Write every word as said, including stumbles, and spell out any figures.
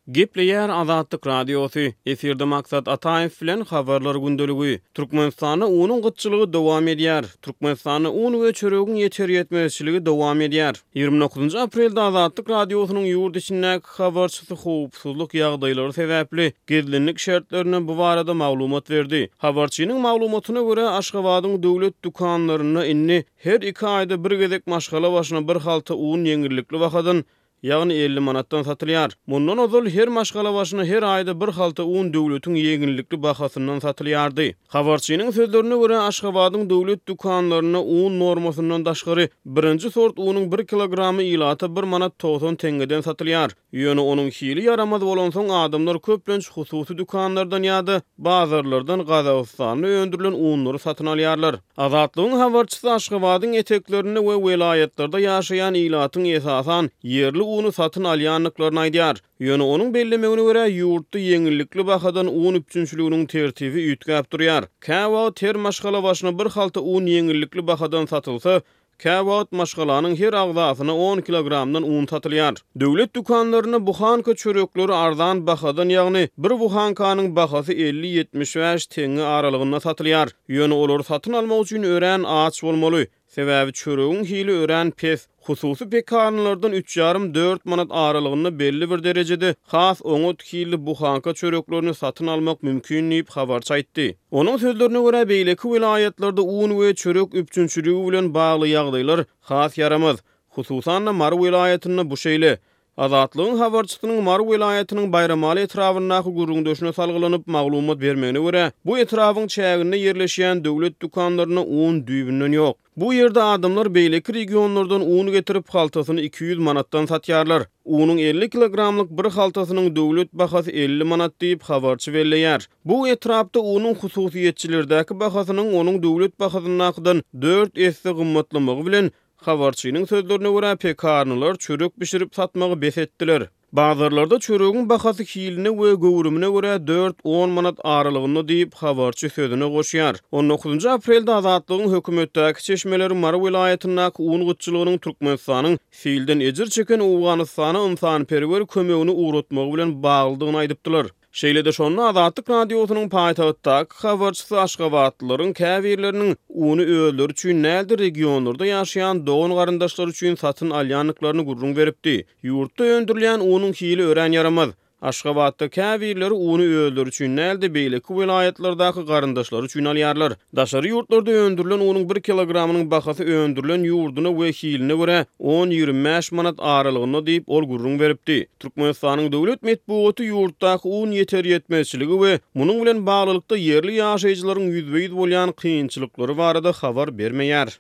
Gepleýär Azatlyk Radiosy, efirde Maksat Ataýew bilen Habarlar gündeligi. Türkmenistanda unuň gytçylygy dowam edýär. Türkmenistanda un we çöregiň ýeter-ýetmezçiligi dowam edýär. Ýigrimi dokuzynjy aprelde Azatlyk Radiosynyň ýurt içindäki habarçysy howpsuzlyk ýagdaýlary sebäpli gizlinlik şertlerinde bu barada maglumat berdi. Habarçynyň maglumatyna görä, Aşgabadyň döwlet dükanlarynda indi her iki aýda bir gezek maşgala başyna bir halta un ýeňillikli bahadan, ýagny elli manatdan satylýar. Mundan ozal her maşgala başyna her aýda bir halta un döwletiň ýeňillikli bahasyndan satylýardy. Habarçynyň sözlerine görä, Aşgabadyň döwlet dükanlarynda un normasyndan daşgary birinji sort unuň bir kilogramy ilata bir manat togsan teňňeden satylýar. Ýöne onuň hili ýaramaz bolansoň, adamlar köplenç hususy dükanlardan ýa-da bazarlardan Gazagystanda öndürilen unlary satyn alýarlar. Azatlygyň habarçysy Aşgabadyň eteklerinde we welaýatlarda ýaşaýan ilatyň esasan ýerli uny satyn alýandyklaryny aýdýar. Ýöne onuň bellemegine görä, ýurtda ýeňillikli bahadan un üpjünçiliginiň tertibi üýtgäp durýar. Käwagt her maşgala başyna bir halta un ýeňillikli bahadan satylsa, käwagt maşgalanyň her agzasyna on kilogramdan un satylýar. Döwlet dükanlarynda buhanka çörekleri arzan bahadan, ýagny bir buhankanyň bahasy elli-ýetmiş bäş teňňe aralygynda satylýar. Ýöne olary satyn almak üçin örän aç bolmaly. Sebäbi çöregiň hili örän pes. Hususy pekarnylardan üç ýarym-dört manat aralygynda belli bir derejede has oňat hilli buhanka çöreklerini satyn almak mümkin diýip, habarçy aýtdy. Onuň sözlerine görä, beýleki welaýatlarda un we çörek üpjünçiligi bilen bagly ýagdaýlar has ýaramaz. Hususan-da, Mary welaýatynda bu şeýle. Azatlygyň habarçysynyň Mary welaýatynyň Baýramaly etrabyndaky gürrüňdeşine salgylanyp maglumat bermegine görä, bu etrabyň çäginde ýerleşýän döwlet dükanlarynda un düýbünden ýok. Bu ýerde adamlar beýleki regionlardan un getirip, haltasyny iki ýüz manatdan satýarlar. Unuň elli kilogramlyk bir haltasynyň döwlet bahasy elli manat diýip, habarçy belleýär. Bu etrapda unuň hususyýetçilerdäki bahasynyň onuň döwlet bahasyndakydan dört esse gymmatlamagy bilen, habarçynyň sözlerine görä, pekarnylar çörek bişirip satmagy bes etdiler. Bazarlarda çöregiň bahasy hiline we göwrümine görä dört-on manat aralygynda diýip, habarçy sözüne goşýar. On dokuzynjy aprelde Azatlygyň hökümetdäki çeşmeleri Mary welaýatyndaky un gytçylygynyň Türkmenistanyň silden ejir çeken Owganystana ynsanperwer kömegini ugratmagy bilen baglydygyny aýdypdylar. Şeýle-de şonda Azatlyk Radiosynyň paýtagtdaky habarçysy aşgabatlylaryň käbirleriniň uny özleri üçin däl-de regionlarda ýaşaýan dogan-garyndaşlary üçin satyn alýandyklaryny gürrüň beripdi. Ýurtda öndürilýän unuň hili örän ýaramaz. Aşgabatda käbirleri uny özleri üçin däl-de beýleki welaýatlardaky garyndaşlary üçin alýarlar. Daşary ýurtlarda öndürilen unuň bir kilogramynyň bahasy öndürilen ýurduna we hiline görä on-ýigrimi bäş manat aralygynda diýip, ol gürrüň beripdi. Türkmenistanyň döwlet metbugaty ýurtdaky un ýeter-ýetmezçiligi we munuň bilen baglylykda ýerli ýaşaýjylaryň ýüzbe-ýüz bolýan kynçylyklary barada habar bermeýär.